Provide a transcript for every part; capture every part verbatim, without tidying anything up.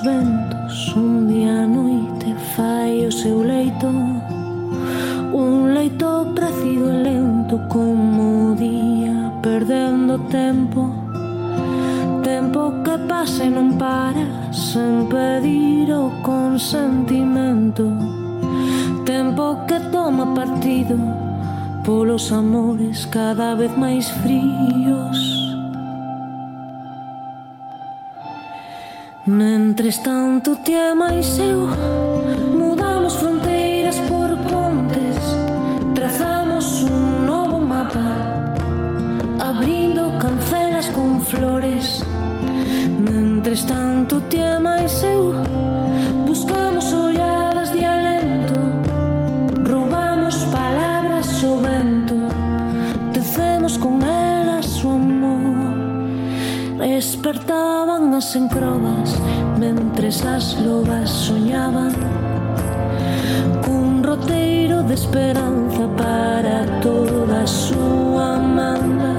ventos, un día a noite fai o seu leito, un leito precido e lento como o día, perdendo tempo, tempo que pasa e non para, sen pedir o consentimento, tempo que toma partido polos amores cada vez máis fríos. Mentres tanto ti e máis eu mudamos fronteiras por pontes, trazamos un novo mapa, abrindo cancelas con flores. Mentres tanto ti e máis eu buscamos olladas de alento, roubamos palabras ao vento, tecemos con elas o amor. Despertaban as encrobas mentres as lobas soñaban cun roteiro de esperanza para toda a súa manda,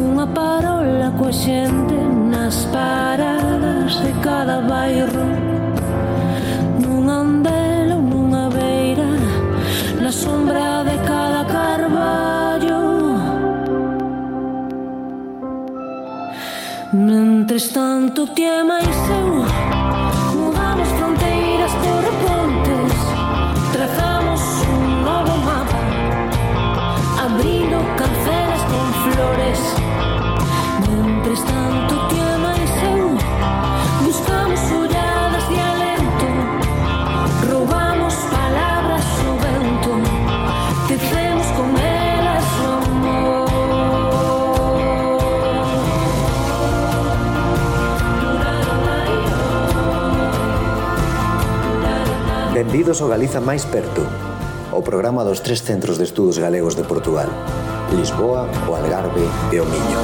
unha parola coa xente nas paradas de cada bairro, nun andel ou nunha beira, na sombra de cada carballo. Mentres tanto ti e máis eu mudamos fronteiras por pontes, trazamos un novo mapa, abrindo cancelas con flores. Mentres tanto ti e máis eu buscamos olladas de alento, roubamos palabras ao vento, tecemos con elas o amor. Benvidos ao Galiza máis perto, o programa dos tres centros de estudos galegos de Portugal, Lisboa, o Algarve e o Miño.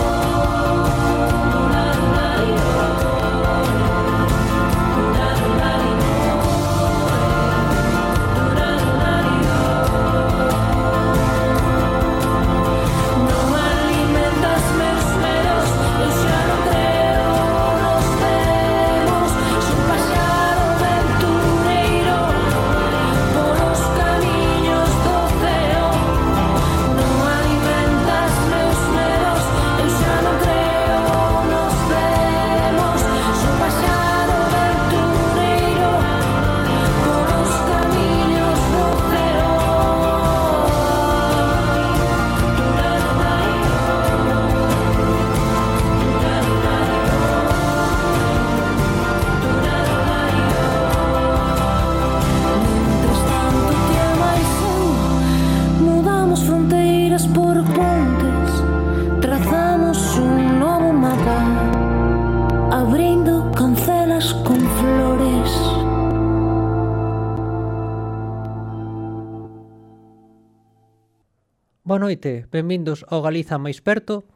Boa noite, benvindos ao Galiza máis perto.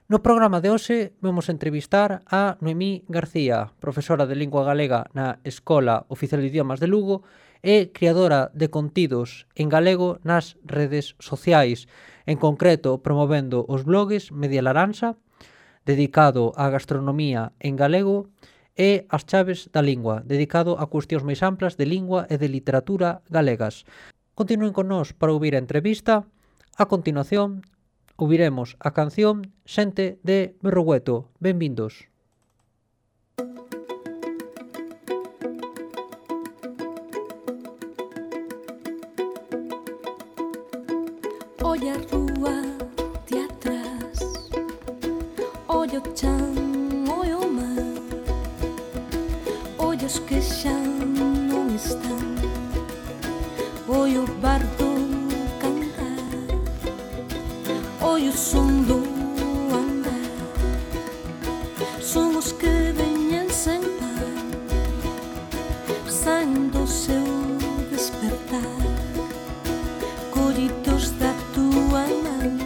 No programa de hoxe vamos entrevistar a Noemí García, profesora de Lingua Galega na Escola Oficial de Idiomas de Lugo e creadora de contidos en galego nas redes sociais, en concreto promovendo os blogs Media Laranxa, dedicado á gastronomía en galego, e As Chaves da Lingua, dedicado a cuestións máis amplas de lingua e de literatura galegas. Continúen con nós para ouvir a entrevista. A continuación, ouviremos a canción Xente de Berrogueto. Benvindos. Olla a rúa de atrás, olla o chan, olla o mar, olla os que xa non están, olla o bardo e o som do andar, son os que veñen sen par, saen do seu despertar, collidos da tua man.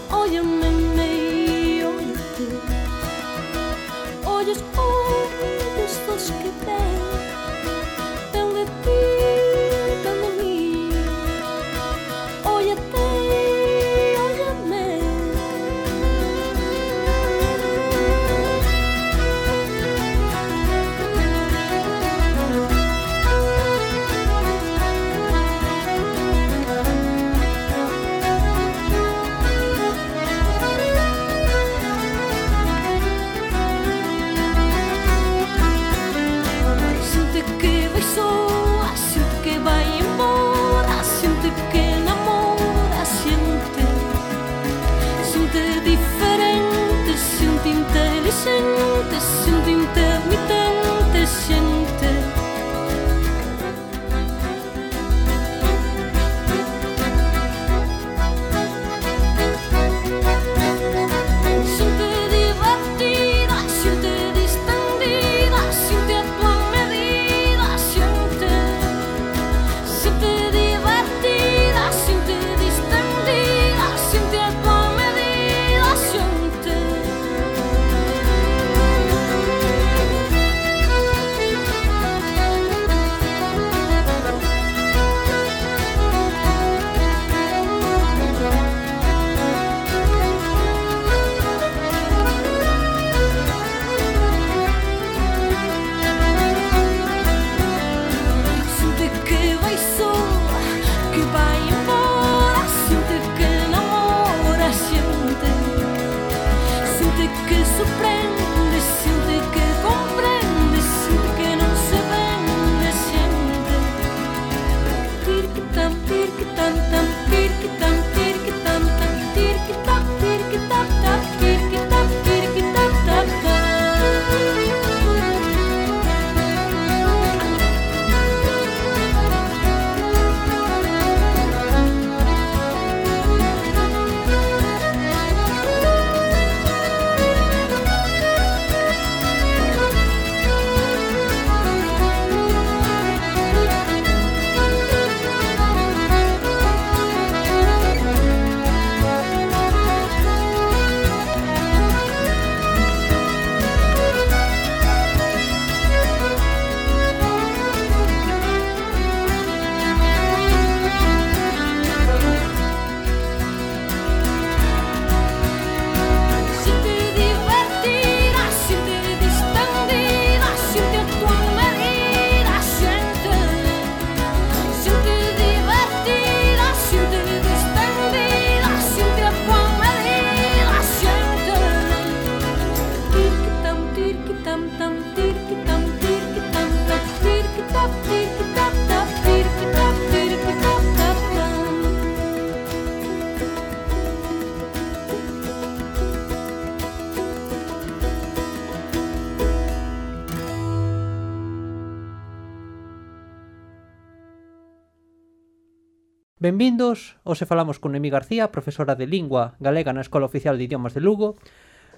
Óllame, me óllate, ollos ollos dos que ven, ven de ti, ven de mí. Óllate, óllame, Benvindos, hoxe falamos con Noemí García, profesora de Lingua Galega na Escola Oficial de Idiomas de Lugo.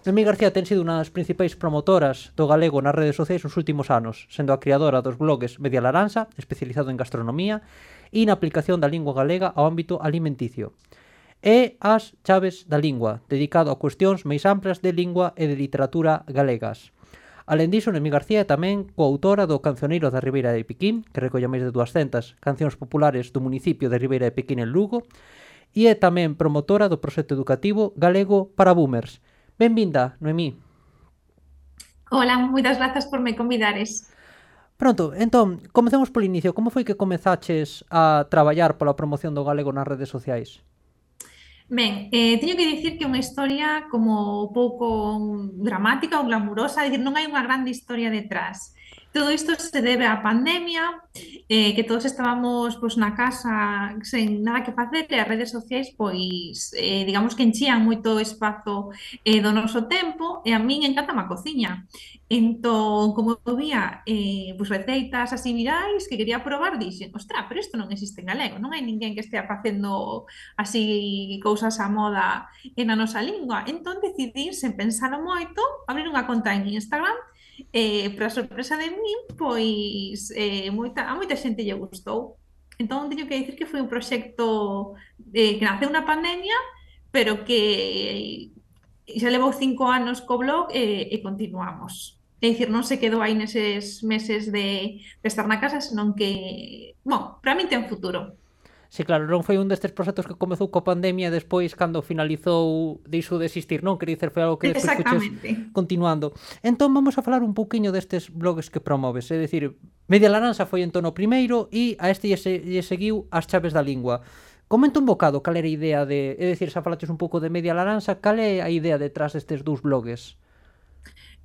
Noemí García ten sido unha das principais promotoras do galego nas redes sociais nos últimos anos, sendo a creadora dos blogs Media Laranxa, especializado en gastronomía, e na aplicación da lingua galega ao ámbito alimenticio. E as Chaves da Lingua, dedicado a cuestións máis amplas de lingua e de literatura galegas. Alén diso, Noemí García é tamén coautora do Cancioneiro da Ribeira de Piquín, que recolle máis de duascentas cancións populares do municipio de Ribeira de Piquín en Lugo, e é tamén promotora do proxecto educativo Galego para Boomers. Benvinda, Noemí. Hola, moitas grazas por me convidares. Pronto, entón, comecemos polo inicio. Como foi que comezaches a traballar pola promoción do galego nas redes sociais? Ben, eh, teño que dicir que é unha historia como pouco dramática ou glamurosa, é dicir, non hai unha grande historia detrás. Todo isto se debe á pandemia, eh, que todos estábamos pois, na casa sen nada que facer e as redes sociais, pois, eh, digamos que enchían moito espazo eh, do noso tempo e a min encanta a cociña. Entón, como eu vía eh, pois, receitas así virais que quería probar, dixen, ostra, pero isto non existe en galego, non hai ninguén que estea facendo así cousas á moda en a nosa lingua. Entón decidí, sen pensalo moito, abrir unha conta en Instagram. Eh, para sorpresa de min, pois eh, moita, a moita xente lle gustou. Entón teño que dicir que foi un proxecto eh, que naceu na pandemia, pero que xa levou cinco anos co blog e, e continuamos. É dicir, non se quedou aí neses meses de, de estar na casa, senón que, bon, para min ten futuro. Sí, claro, non foi un destes proxectos que comezou coa pandemia e despois, cando finalizou, deixou de existir, non? Quer dizer, foi algo que despois fuches continuando. Entón, vamos a falar un pouquiño destes blogs que promoves. É dicir, Media Laranxa foi entón o primeiro e a este lle, se, lle seguiu As Chaves da Lingua. Comenta un bocado cal era a idea de... É dicir, xa falaches un pouco de Media Laranxa, cal é a idea detrás destes dous blogs?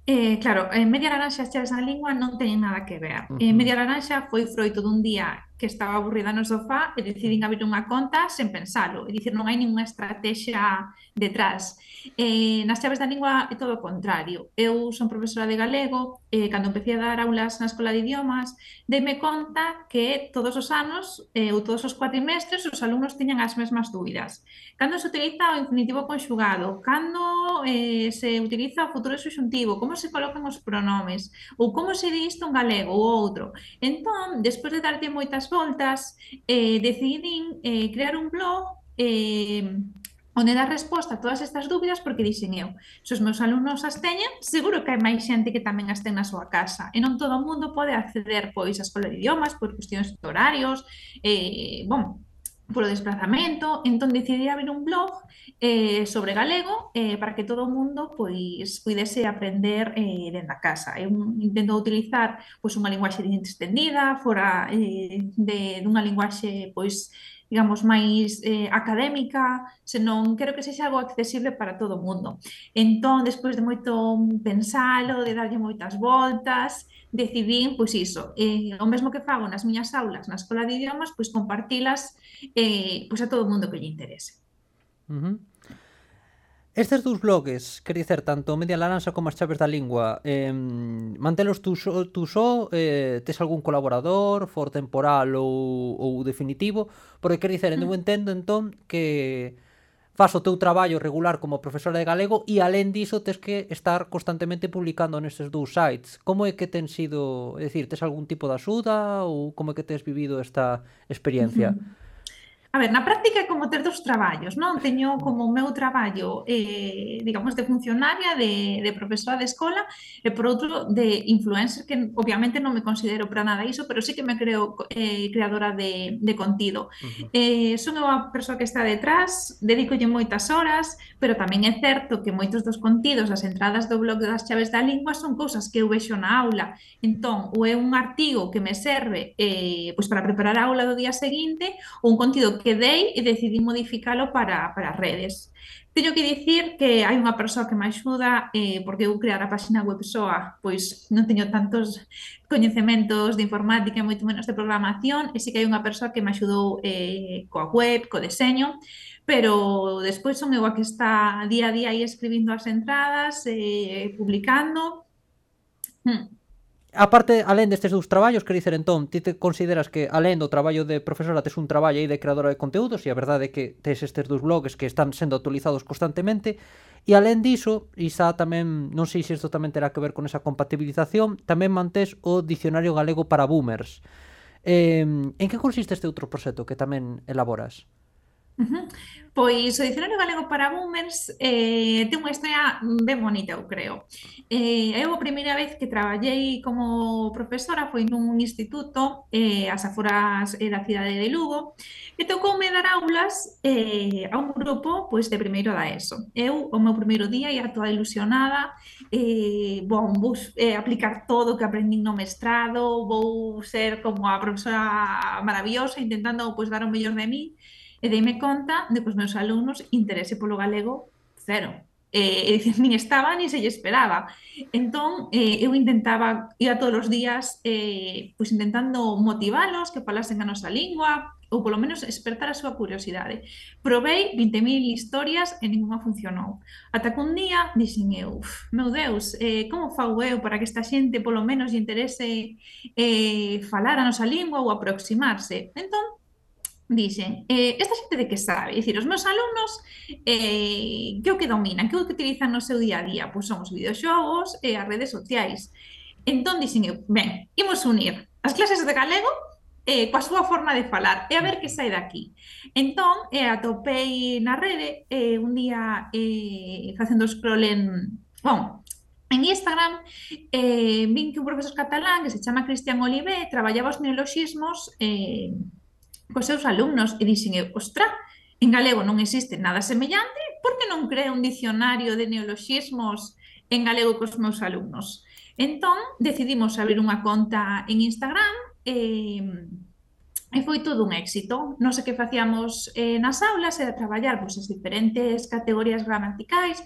Eh, claro, eh, Media Laranxa e As Chaves da Lingua non teñen nada que ver. Uh -huh. eh, Media Laranxa foi froito dun día que estaba aburrida no sofá e decidín abrir unha conta sen pensalo. É dicir, non hai ninguna estrategia detrás. Eh, nas Chaves da Lingua é todo o contrario. Eu son profesora de galego e eh, cando empecé a dar aulas na Escola de Idiomas deime conta que todos os anos eh, ou todos os cuatrimestres os alumnos tiñan as mesmas dúbidas. Cando se utiliza o infinitivo conxugado? Cando eh, se utiliza o futuro subxuntivo? Como se colocan os pronomes? Ou como se di isto en galego ou outro? Entón, despois de darte moitas voltas, eh, decidín eh, crear un blog eh, onde dar resposta a todas estas dúbidas, porque dixen eu, se os meus alumnos as teñen, seguro que hai máis xente que tamén as ten na súa casa, e non todo o mundo pode acceder pois á Escola de Idiomas por cuestións de horarios, eh, bom, polo desplazamento. Entón decidí abrir un blog eh, sobre galego eh, para que todo o mundo pois puidese aprender eh, dentro da casa. Eu intento utilizar pois unha linguaxe extendida, fora eh, de dunha linguaxe pois digamos, máis eh, académica, senón quero que sexa algo accesible para todo o mundo. Entón, despois de moito pensalo, de darlle moitas voltas, decidín, pois iso, eh, o mesmo que fago nas miñas aulas na Escola de Idiomas, pois compartilas eh, pois a todo o mundo que lle interese. Uh -huh. Estes dous blogs, quer dizer, tanto Media Laranxa como As Chaves da Lingua, eh, mantelos tú só, tú só eh, tes algún colaborador, for temporal ou, ou definitivo? Porque quer dizer, eu entendo entón que faz o teu traballo regular como profesora de galego e alén diso tes que estar constantemente publicando nestes dous sites. Como é que ten sido, é dicir, tes algún tipo de axuda ou como é que tes vivido esta experiencia? Uh-huh. A ver, na práctica é como ter dos traballos, non? Teño como o meu traballo, eh, digamos, de funcionaria, de, de profesora de escola, e por outro, de influencer, que obviamente non me considero para nada iso, pero sí que me creo eh, creadora de, de contido. Uh-huh. eh, son unha persoa que está detrás, dedicolle moitas horas, pero tamén é certo que moitos dos contidos, as entradas do blog das Chaves da Lingua, son cousas que eu vexo na aula. Entón, ou é un artigo que me serve eh, pois para preparar a aula do día seguinte, ou un contido quedei e decidi modificalo para, para redes. Teño que dicir que hai unha persoa que me axuda, eh, porque eu crear a página web soa, pois non teño tantos coñecementos de informática e moito menos de programación, e sí que hai unha persoa que me axudou eh, coa web, co deseño, pero despois son eu a que está día a día aí escribindo as entradas, eh, publicando. Hmm. A parte, alén destes dous traballos, quer dicer, entón, ti te consideras que alén do traballo de profesora tes un traballo aí de creadora de conteúdos, e a verdade é que tes estes dous blogs que están sendo actualizados constantemente, e alén diso, e xa tamén, non sei se isto tamén terá que ver con esa compatibilización, tamén mantés o Dicionario Galego para Boomers. Eh, en que consiste este outro proxecto que tamén elaboras? Uh-huh. Pois o Dicionario Galego para Boomers eh, ten unha historia ben bonita, eu creo. Eh, eu a primeira vez que traballei como profesora foi nun instituto eh, ás aforas eh, da cidade de Lugo, e tocoume dar aulas eh, a un grupo pois, de primeiro da ESO. Eu, o meu primeiro día, ia toda ilusionada, eh, bon, vou eh, aplicar todo o que aprendín no mestrado, vou ser como a profesora maravillosa, intentando pois, dar o mellor de mí. E deime conta de que os meus alumnos interese polo galego cero. E, e dicir, nin estaba, nin se lle esperaba. Entón, eh, eu intentaba, ia todos os días, eh, pois intentando motivalos, que falasen a nosa lingua, ou polo menos despertar a súa curiosidade. Provei vinte mil historias e ninguna funcionou. Ata que un día dixen eu, meu Deus, eh, como fago eu para que esta xente polo menos lle interese eh, falar a nosa lingua ou aproximarse? Entón, dixen, eh, esta xente de que sabe? Dicir, os meus alumnos eh, que o que dominan, que o que utilizan no seu día a día? Pois son os videoxogos e as redes sociais. Entón dixen eu, ben, imos unir as clases de galego eh, coa súa forma de falar e a ver que sai daqui. Entón, eh, atopei na rede eh, un día eh, facendo scroll en... Bon, en Instagram eh, vin que un profesor catalán que se chama Cristian Olivé traballaba os neoloxismos eh, cos seus alumnos e dixen eu, ostra, en galego non existe nada semellante, por que non creo un dicionario de neoloxismos en galego cos meus alumnos? Entón, decidimos abrir unha conta en Instagram e, e foi todo un éxito. Nós o que facíamos eh, nas aulas era traballar pois, as diferentes categorías gramaticais,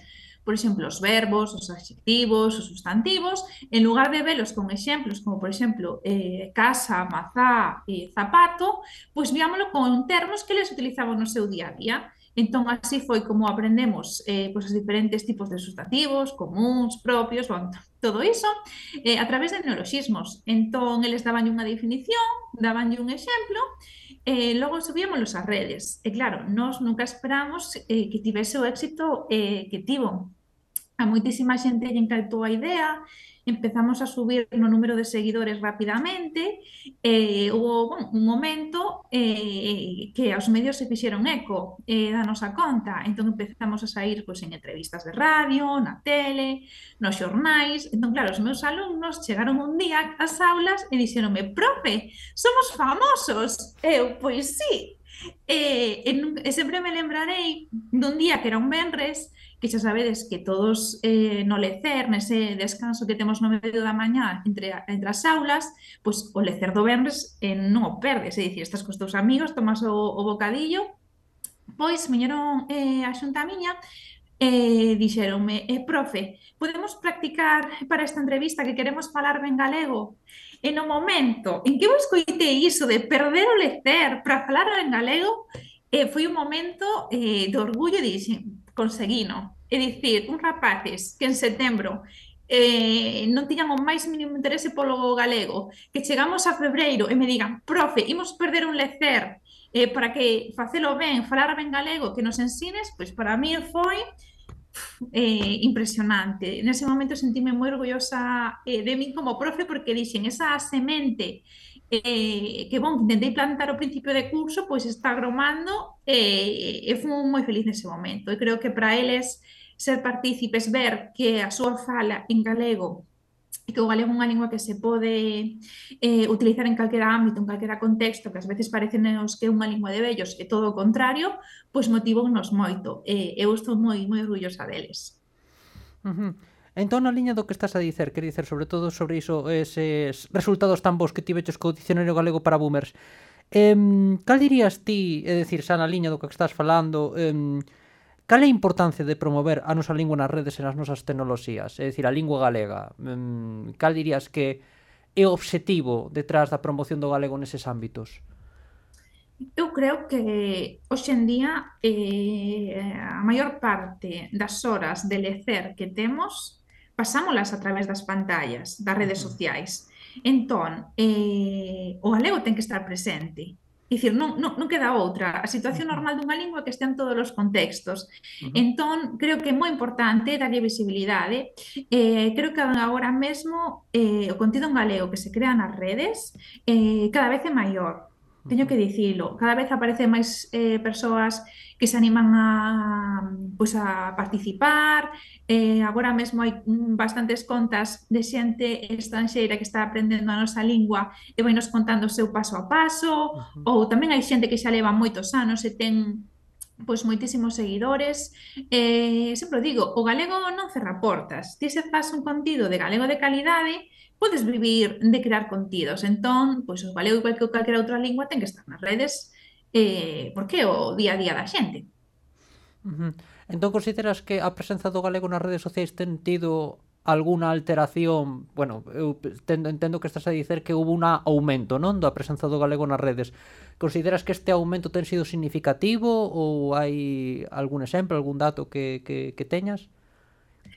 por exemplo, os verbos, os adxectivos, os sustantivos, en lugar de velos con exemplos como, por exemplo, eh, casa, mazá e zapato, pois viámoslo con termos que les utilizaban no seu día a día. Entón, así foi como aprendemos eh, pois, os diferentes tipos de sustantivos, comuns, propios, bon, todo iso, eh, a través de neoloxismos. Entón, eles daban unha definición, daban un exemplo, e eh, logo subíamos ás redes. E claro, nós nunca esperamos eh, que tivese o éxito eh, que tivo. A moitísima xente lle encantou a idea, empezamos a subir no número de seguidores rapidamente, e houve bueno, un momento eh, que os medios se fixeron eco eh, da nosa conta, entón empezamos a sair pois, en entrevistas de radio, na tele, nos xornais. Entón, claro, os meus alumnos chegaron un día ás aulas e dixeronme, profe, somos famosos. Eu, pois sí. E, e, e sempre me lembrarei dun día que era un venres, que xa sabedes que todos eh, no lecer, nese descanso que temos no medio da mañá entre, entre as aulas, pois o lecer do venres eh, non o perdes, é dicir, estás cos teus amigos, tomas o, o bocadillo, pois viñeron eh, a xunta miña e dixeronme, eh, profe, podemos practicar para esta entrevista que queremos falar ben galego? E no momento en que eu escoitei iso de perder o lecer para falar en galego, eh, foi un momento eh, de orgullo, e dixen, conseguino. É dicir, uns rapaces que en setembro eh, non tiñan o máis mínimo interese polo galego, que chegamos a febreiro e me digan, profe, imos perder un lecer eh, para que facelo ben, falar ben galego, que nos ensines, pois para mí foi eh, impresionante. Nese momento sentíme moi orgullosa eh, de mí como profe, porque dixen, esa semente eh, que, bon, intentei plantar ao principio de curso, pois está gromando e, e fui moi feliz nese momento. E creo que para eles ser partícipes, ver que a súa fala en galego e que o galego é unha lingua que se pode eh, utilizar en calquera ámbito, en calquera contexto, que ás veces parecenos que é unha lingua de vellos e todo o contrario, pois motivounos moito. E eu estou moi moi orgullosa deles. Uh-huh. Entón, na liña do que estás a dicer, quer dicer, sobre todo sobre iso, eses resultados tan bons que tiveches co Dicionario Galego para Boomers, Eh, cal dirías ti, é dicir, xa na liña do que estás falando, eh, cal é a importancia de promover a nosa lingua nas redes e nas nosas tecnoloxías? É dicir, a lingua galega. Eh, cal dirías que é o obxectivo detrás da promoción do galego neses ámbitos? Eu creo que hoxe en día eh, a maior parte das horas de lecer que temos pasámolas a través das pantallas, das redes sociais. Entón, eh, o galego ten que estar presente. É dicir, non, non, non queda outra. A situación normal dunha lingua é que estea en todos os contextos. Entón, creo que é moi importante darlle visibilidade. Eh, creo que agora mesmo eh, o contido en galego que se crea nas redes eh, cada vez é maior. Teño que dicilo, cada vez aparecen máis eh, persoas que se animan a, pois, a participar, eh, agora mesmo hai mm, bastantes contas de xente estranxeira que está aprendendo a nosa lingua e vai nos contando o seu paso a paso, Uh-huh. ou tamén hai xente que xa leva moitos anos e ten pois moitísimos seguidores. Eh, sempre o digo, o galego non cerra portas. Ti se faz un contido de galego de calidade, podes vivir de crear contidos. Entón, pois o galego, igual que calquera outra lingua, ten que estar nas redes, eh, porque é o día a día da xente. Uh-huh. Entón consideras que a presenza do galego nas redes sociais ten tido alguna alteración? Bueno, eu entendo, entendo que estás a dicer que hubo un aumento, non, da presenza do galego nas redes. Consideras que este aumento ten sido significativo ou hai algún exemplo, algún dato que, que, que teñas?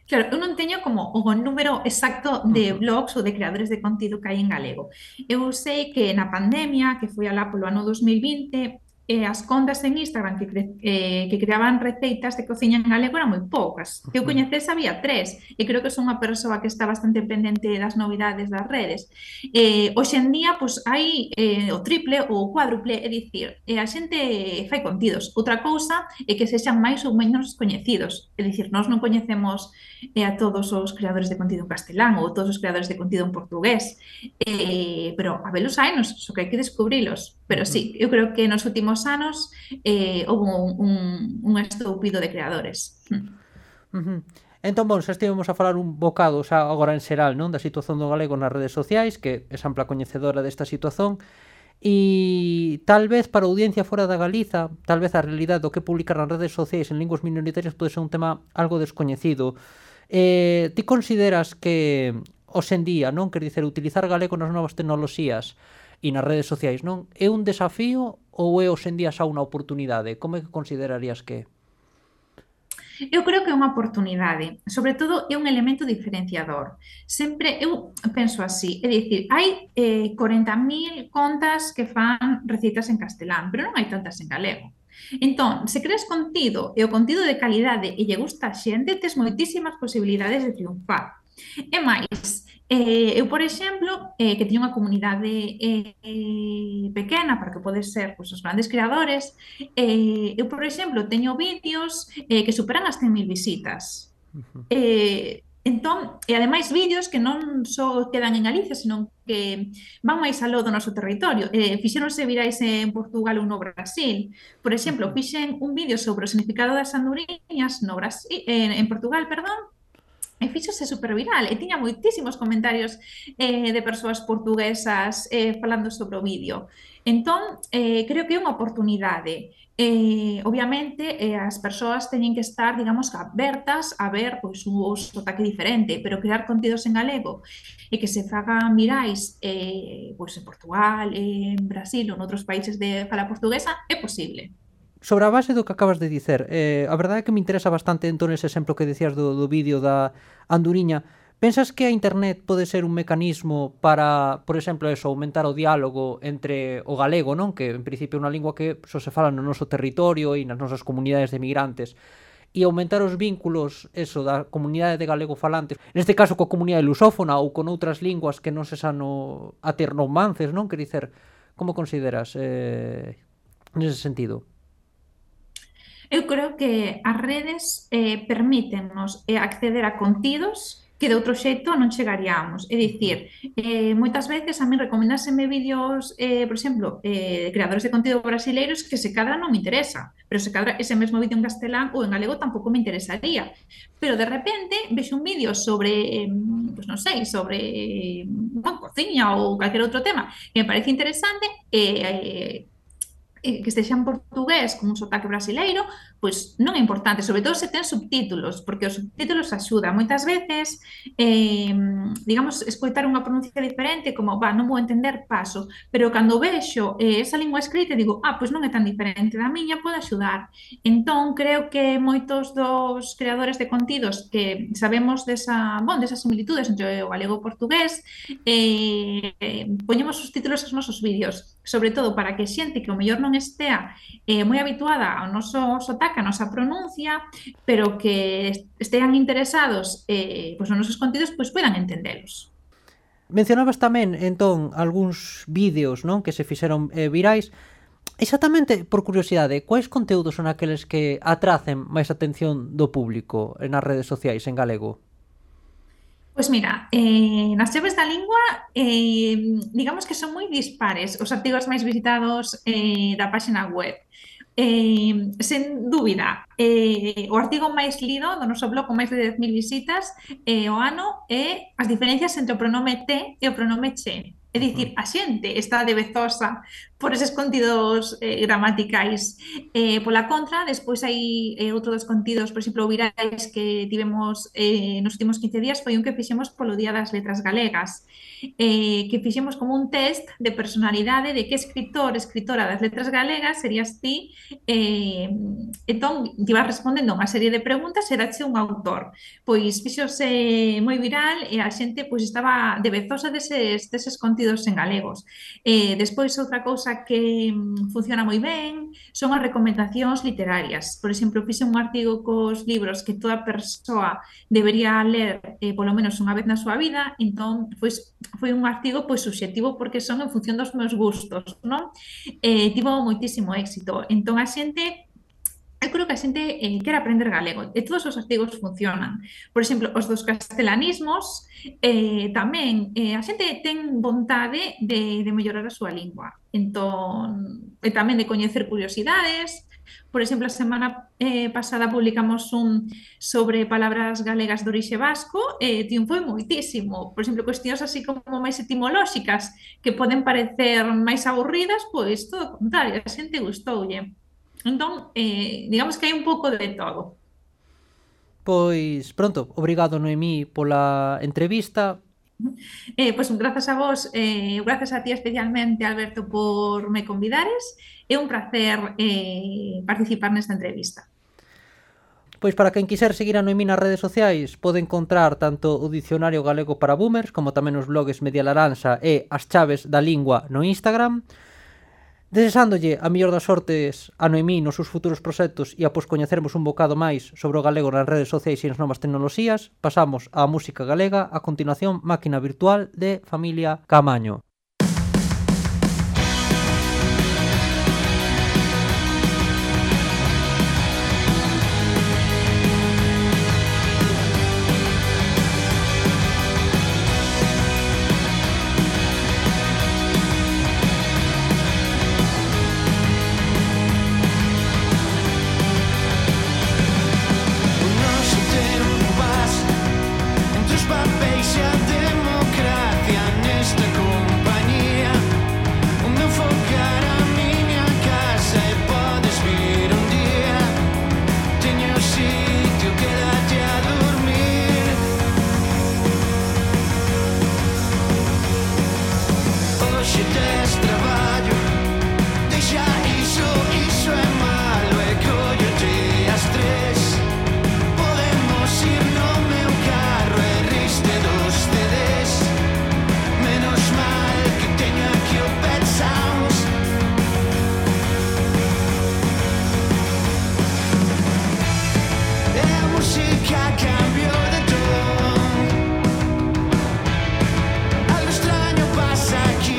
Claro, eu non teño como o número exacto de blogs ou de creadores de contido que hai en galego. Eu sei que na pandemia, que foi alá polo ano dos mil vinte, eh, as contas en Instagram que, cre eh, que creaban receitas de cociña en galego eran moi poucas. Que eu coñecese había tres, e creo que son unha persoa que está bastante pendente das novidades das redes. Eh, hoxe en día, pois, hai eh, o triple ou o cuádruple, é dicir, eh, a xente fai contidos. Outra cousa é que sexan máis ou menos coñecidos. É dicir, nós non coñecemos eh, a todos os creadores de contido en castelán ou todos os creadores de contido en portugués. Eh, pero a velos hainos, só que hai que descubrilos. Pero sí, eu creo que nos últimos anos eh, houve un, un, un estoupido de creadores. Uh-huh. Entón, bon, xa estivemos a falar un bocado xa agora en xeral, non, da situación do galego nas redes sociais, que é ampla coñecedora desta situación, e tal vez para a audiencia fora da Galiza, tal vez a realidade do que publicar nas redes sociais en linguas minoritarias pode ser un tema algo descoñecido. Eh, ti consideras que hoxe en día, non, quer dicer, utilizar galego nas novas tecnoloxías e nas redes sociais, non, é un desafío ou é hoxe en día xa unha oportunidade? Como é que considerarías que é? Eu creo que é unha oportunidade, sobre todo é un elemento diferenciador. Sempre, eu penso así, é dicir, hai eh, corenta mil contas que fan receitas en castelán, pero non hai tantas en galego. Entón, se creas contido e o contido de calidade e lle gusta a xente, tes moitísimas posibilidades de triunfar. E máis, eh, eu, por exemplo, eh, que teño unha comunidade eh, eh, pequena, para que pode ser pois, os grandes creadores, eh, eu, por exemplo, teño vídeos eh, que superan as cen mil visitas. Uh-huh. Eh, entón, e ademais vídeos que non só quedan en Galicia, senón que van máis aló do noso territorio. Eh, fixéronse virais en Portugal ou no Brasil. Por exemplo, fixen un vídeo sobre o significado das anduriñas no Brasil, eh, en Portugal, perdón, e fíxose super viral, e tiña moitísimos comentarios eh, de persoas portuguesas eh, falando sobre o vídeo. Entón, eh, creo que é unha oportunidade. Eh, obviamente, eh, as persoas teñen que estar, digamos, abertas a ver pois, un sotaque diferente, pero crear contidos en galego e que se fagan virais eh, pois, en Portugal, en Brasil ou noutros países de fala portuguesa, é posible. Sobre a base do que acabas de dicer, eh, a verdade é que me interesa bastante entón ese exemplo que decías do, do vídeo da anduriña. Pensas que a internet pode ser un mecanismo para, por exemplo, eso, aumentar o diálogo entre o galego, non? Que en principio é unha lingua que só se fala no noso territorio e nas nosas comunidades de migrantes, e aumentar os vínculos, eso, da comunidade de galego falantes, neste caso coa comunidade lusófona ou con outras linguas que non se san no, a ter romances, non? Quer dicer, como consideras eh, nese sentido? Eu creo que as redes eh, permítennos eh, acceder a contidos que de outro xeito non chegaríamos. É dicir, eh, moitas veces a mí recomendáseme vídeos, eh, por exemplo, eh, de creadores de contido brasileiros que se cadra non me interesa, pero se cadra ese mesmo vídeo en castelán ou en galego tampouco me interesaría. Pero de repente vexo un vídeo sobre, eh, pues non sei, sobre eh, bueno, cociña ou calquer outro tema que me parece interesante e eh, que estexa en portugués con un sotaque brasileiro, pois non é importante, sobre todo se ten subtítulos, porque os subtítulos axudan. Moitas veces, eh, digamos, escoitar unha pronuncia diferente, como, va, non vou entender, paso, pero cando vexo eh, esa lingua escrita, digo, ah, pois non é tan diferente da miña, pode axudar. Entón, creo que moitos dos creadores de contidos que sabemos desa, bon, desas similitudes entre o galego e o portugués, eh, eh, poñemos os títulos aos nosos vídeos, sobre todo para que xente que o mellor non estea eh, moi habituada ao noso sotaque, a nosa pronuncia, pero que estean interesados eh, pois nos nosos contidos, pois poidan entendelos. Mencionabas tamén, entón, algúns vídeos, non, que se fixeron eh, virais. Exactamente, por curiosidade, quais conteúdos son aqueles que atracen máis atención do público nas redes sociais en galego? Pois mira, eh, nas chaves da lingua, eh, digamos que son moi dispares os artigos máis visitados eh, da páxina web. Eh, sen dúbida, eh, o artigo máis lido do noso blog con máis de dez mil visitas eh, o ano é as diferencias entre o pronome te e o pronome che. É dicir, a xente está debezosa por eses contidos eh, gramaticais. Eh, pola contra, despois hai eh, outro dos contidos, por exemplo, virais que tivemos eh, nos últimos quince días, foi un que fixemos polo Día das Letras Galegas, eh, que fixemos como un test de personalidade de que escritor, escritora das letras galegas serías ti. Eh, entón, te ibas respondendo unha serie de preguntas e dache un autor. Pois fixose moi viral e a xente pois estaba debezosa deses, deses contidos en galegos. Eh, despois, outra cousa que mm, funciona moi ben son as recomendacións literarias. Por exemplo, fixe un artigo cos libros que toda persoa debería ler eh, polo menos unha vez na súa vida, entón pois, foi un artigo pois subxectivo porque son en función dos meus gustos, non? Eh, tivo moitísimo éxito. Entón a xente Eu creo que a xente eh, quere aprender galego e todos os artigos funcionan. Por exemplo, os dos castelanismos eh, tamén eh, a xente ten vontade de, de mellorar a súa lingua. Entón, e tamén de coñecer curiosidades. Por exemplo, a semana eh, pasada publicamos un sobre palabras galegas de orixe vasco e eh, triunfou moitísimo. Por exemplo, cuestións así como máis etimolóxicas que poden parecer máis aburridas, pois todo o contrario, a xente gustoulle. Entón, eh, digamos que hai un pouco de todo. Pois, pronto, obrigado, Noemí, pola entrevista. Eh, pois grazas a vos, eh, grazas a ti especialmente, Alberto, por me convidares. É un placer eh, participar nesta entrevista. Pois para quen quiser seguir a Noemí nas redes sociais pode encontrar tanto o Dicionario Galego para Boomers como tamén os blogs Media Laranxa e As Chaves da Lingua no Instagram. Desexándolle a mellor das sortes a Noemí nos seus futuros proxectos e após coñecermos un bocado máis sobre o galego nas redes sociais e nas novas tecnoloxías, pasamos á música galega, a continuación Máquina Virtual de Familia Camaño. Algo extraño pasa aquí.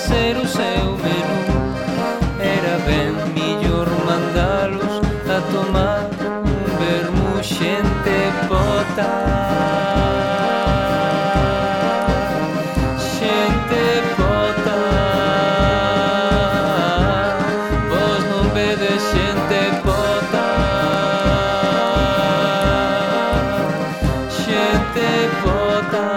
facer o seu menú. Era ben millor mandalos a tomar un vermú xente pota. Xente pota. Vos non vedes xente pota. Xente pota.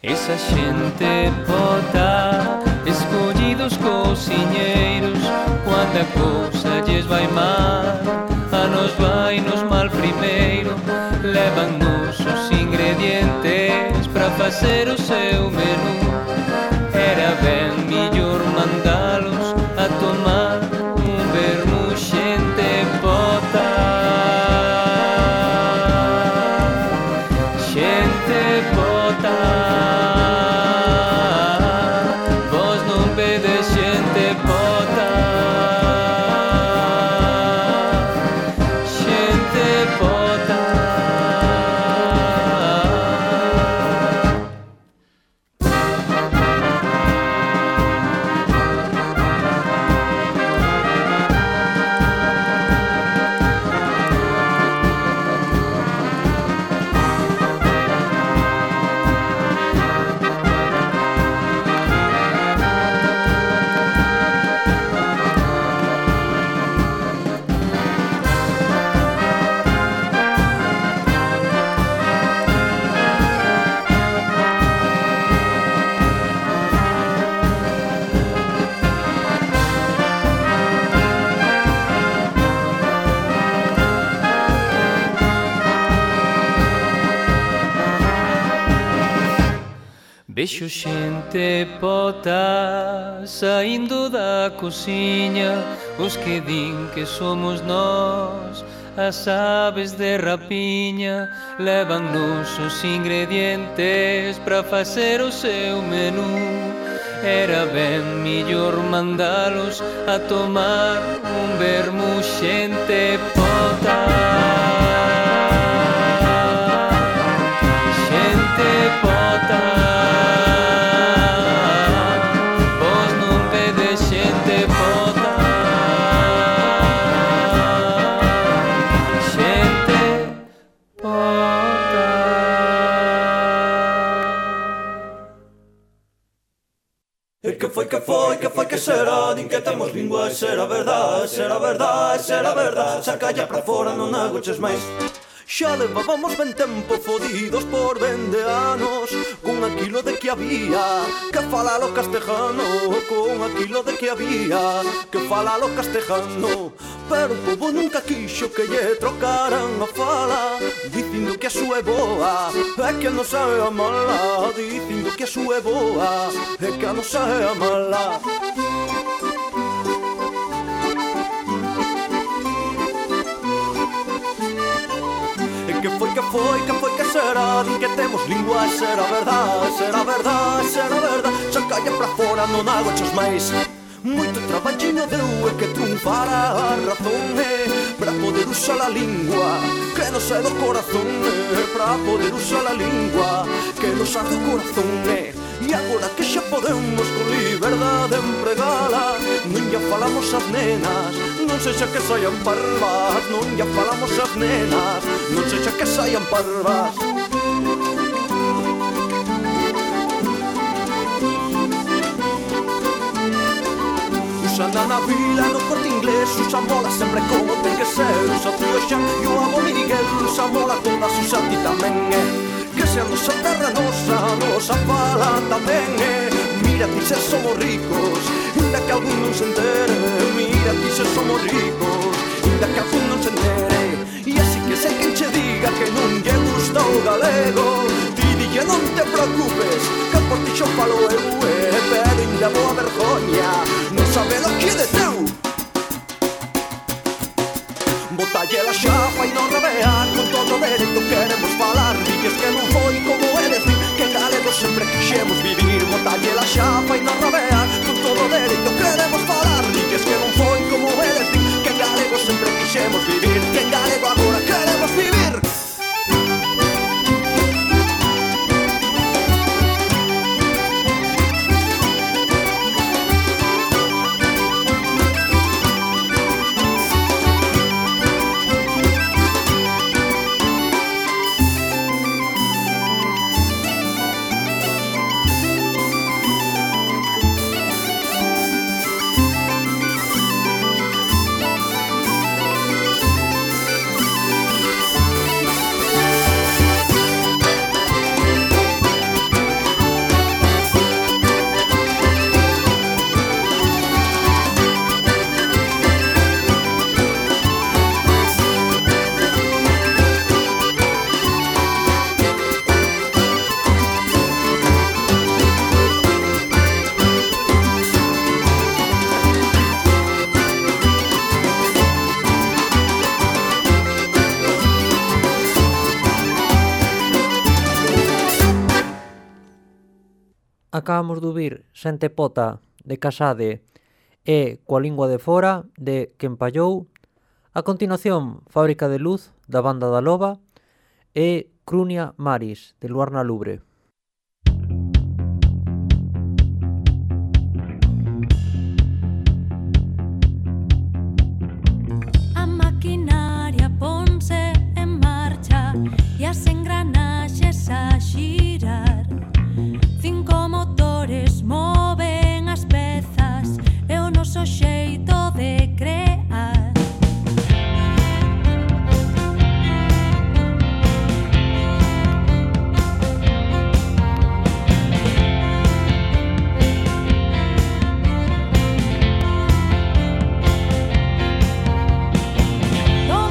Esa xente pota, escollidos cociñeiros, cando a cousa lles vai mal, a nos vai nos mal primeiro. Levan-nos os ingredientes para facer o seu menú. Era ben millor mandalos a tomar un vermú xente pota. Xente pota. Vos non vedes xente pota. Xente pota. Vexo xente pota saindo da cociña, os que din que somos nós as aves de rapiña. Levan-nos os ingredientes para facer o seu menú. Era ben millor mandalos a tomar un vermú xente pota. Xente pota. Que foi, que foi, que foi, que será? Din que temos lingua, será verdad, será verdad, será verdad. Sacalla pra fora, non agoches máis. Xa levábamos ben tempo fodidos por vende anos, con aquilo de que había que falalo castejano, con aquilo de que había que falalo castejano. Pero o povo nunca quixo que lle trocaran a fala, dicindo que a súa é boa é que a nosa é a mala, dicindo que a súa é boa é que a nosa é a mala. Que foi, que foi, que foi, que será? Din que temos lingua, será verdad, será verdad, será verdad. Sacalla pra fora, non agoches máis. Moito traballiño deu e que triunfara a razón, eh, para poder usar a lingua que nos é do corazón, eh, para poder usar a lingua que nos é do corazón, eh. E agora que xa podemos con liberdade empregala, non lla falamos as nenas, non sexa que saian parvas, non lla falamos as nenas, non sexa que saian parvas. Usando na vila, no Corte Inglés, usa mola sempre como ten que ser. Usa tío Xan e o amo Miguel, usa mola todas, usa ti tamén, eh. Que se se a nosa terra nosa, nosa fala tamén é. Mira ti se somos ricos, inda que algún non se entere. Mira ti se somos ricos, inda que algún non se entere. E así que sei quen che diga que non lle gusta o galego, ti dille non te preocupes, que por ti xo falo eu, eh, pero inda boa vergoña non saber o que é de teu. Botalle la xafa e non rabear, con todo dereito queremos falar. Dices que non foi como eles, din que en galego sempre quixemos vivir. Botalle la xafa e non rabear, con todo dereito queremos falar. Dices que non foi como eles, din que en galego sempre quixemos vivir. Que en galego agora queremos vivir. Acabamos de ouvir Xente Pota de Casade e Coa Lingua de Fora de Quen Pallou. A continuación, Fábrica de Luz da Banda da Loba e Crunia Maris de Luarna Lubre. A maquinaria ponse en marcha e as engranaxes a xirar. Cinco motores moven as pezas e o noso xeito de crear. Un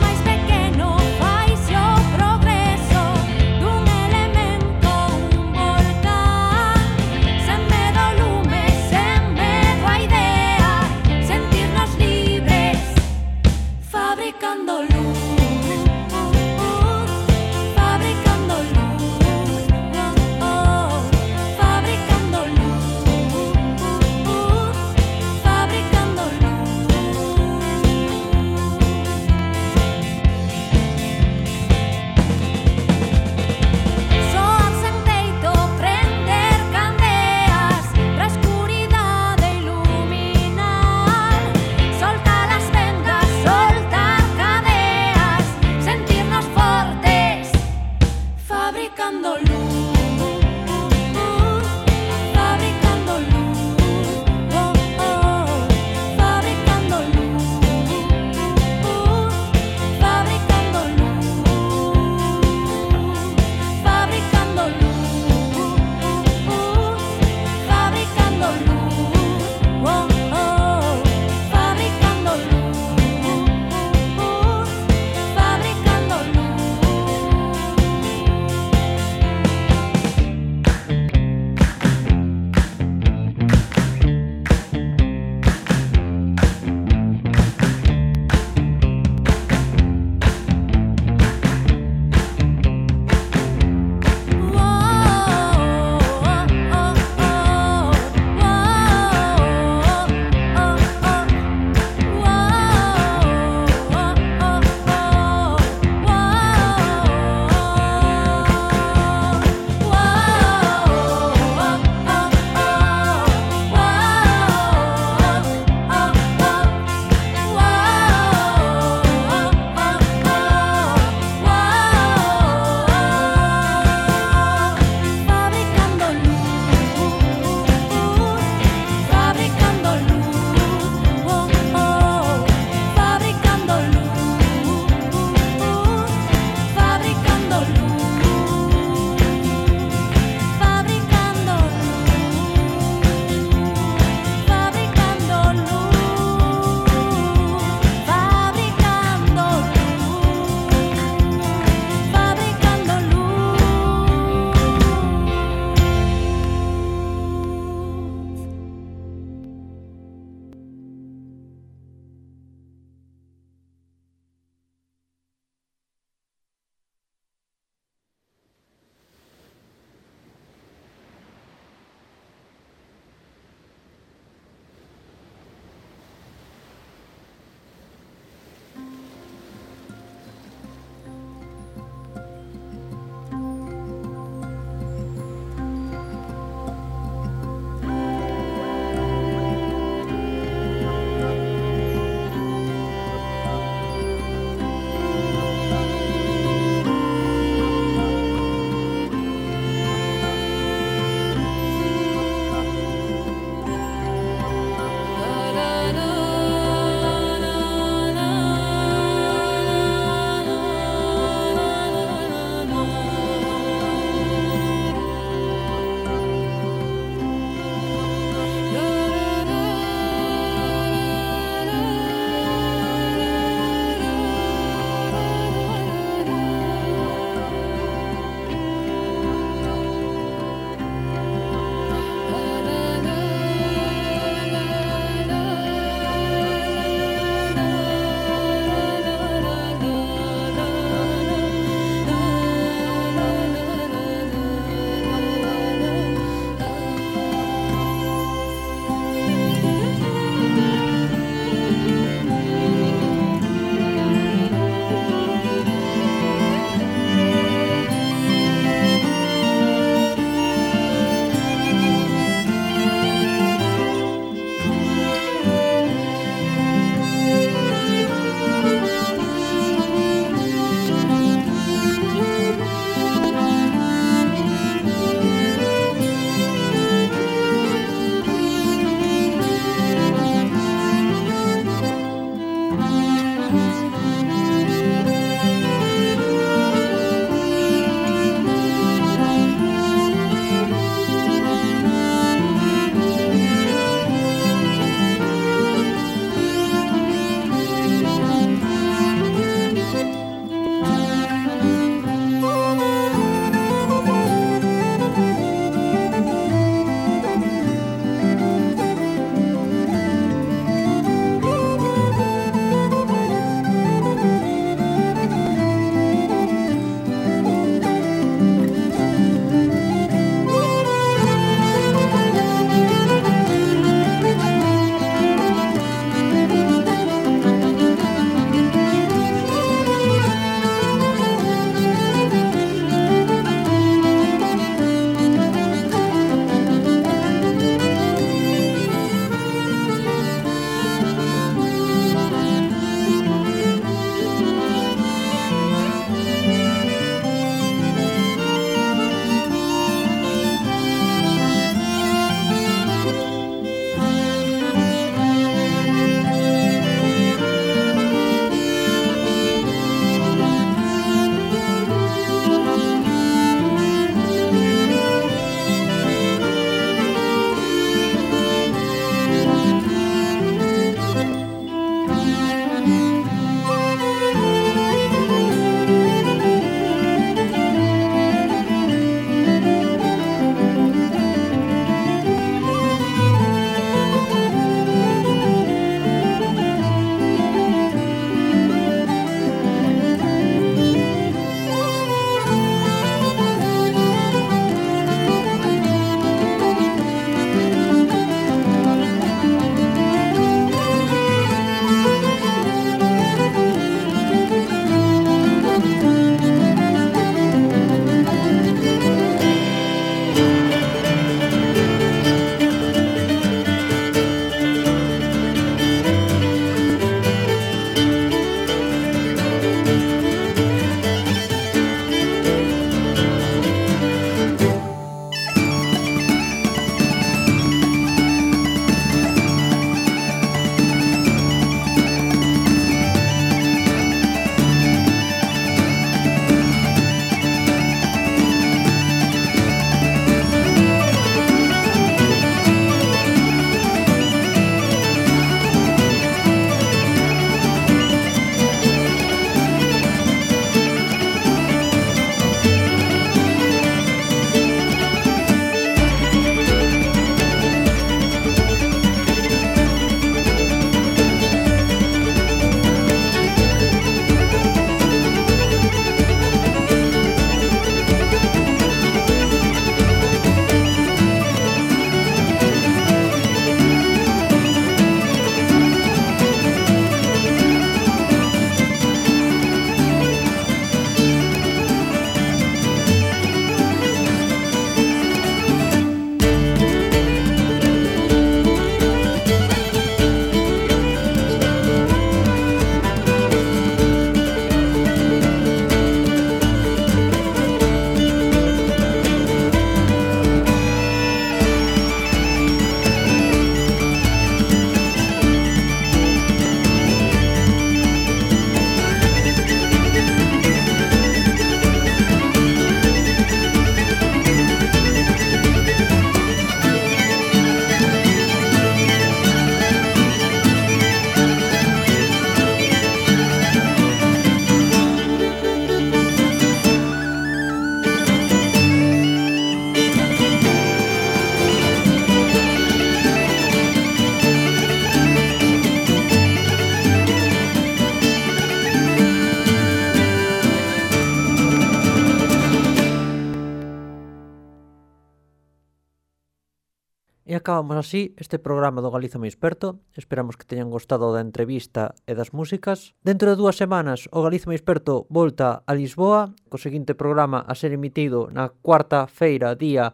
E acabamos así este programa do Galiza Moi Experto. Esperamos que teñan gostado da entrevista e das músicas. Dentro de dúas semanas o Galiza Moi Experto volta a Lisboa, co seguinte programa a ser emitido na cuarta feira, día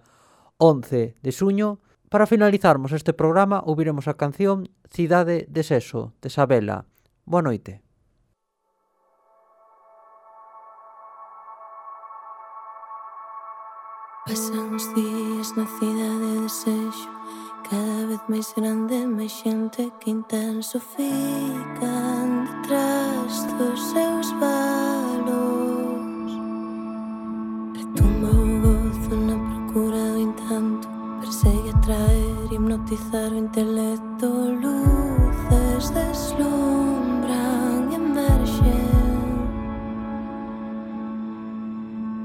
once de xuño. Para finalizarmos este programa ouviremos a canción Cidade de Seso, de Sabela. Boa noite. Pasan os días na cidade de Seixo, cada vez máis grande, máis xente que intensifican detrás dos seus valos. Retumba o gozo na procura do encanto, persegue atraer, hipnotizar o intelecto. Luces deslumbran e emerxen,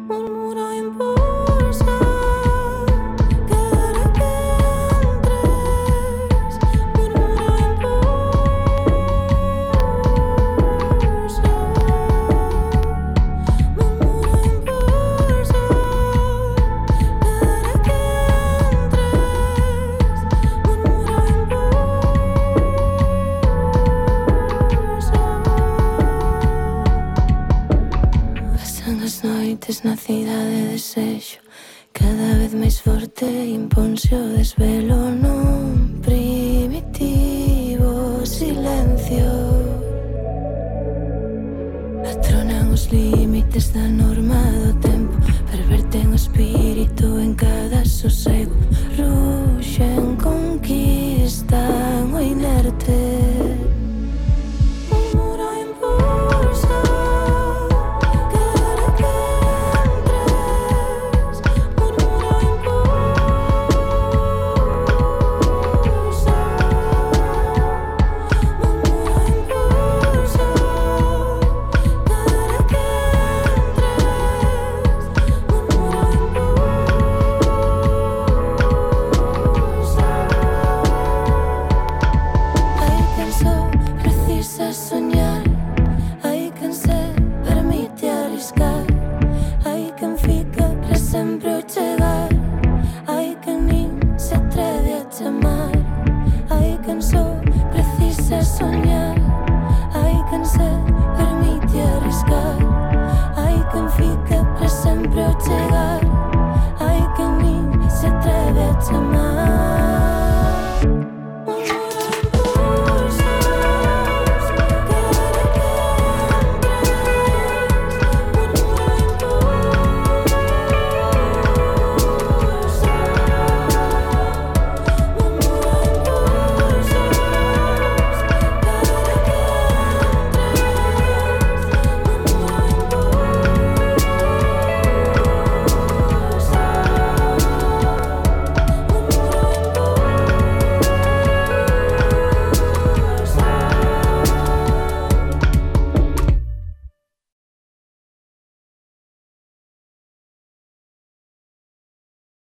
murmura o impulso. Na cidade de Seixo, cada vez máis forte imponse o desvelo nun primitivo silencio. Atronan os límites da norma do tempo, perverten o espírito en cada sosego, ruxen, conquistan o inerte. Chegar, hai quen nin se atreve a chamar.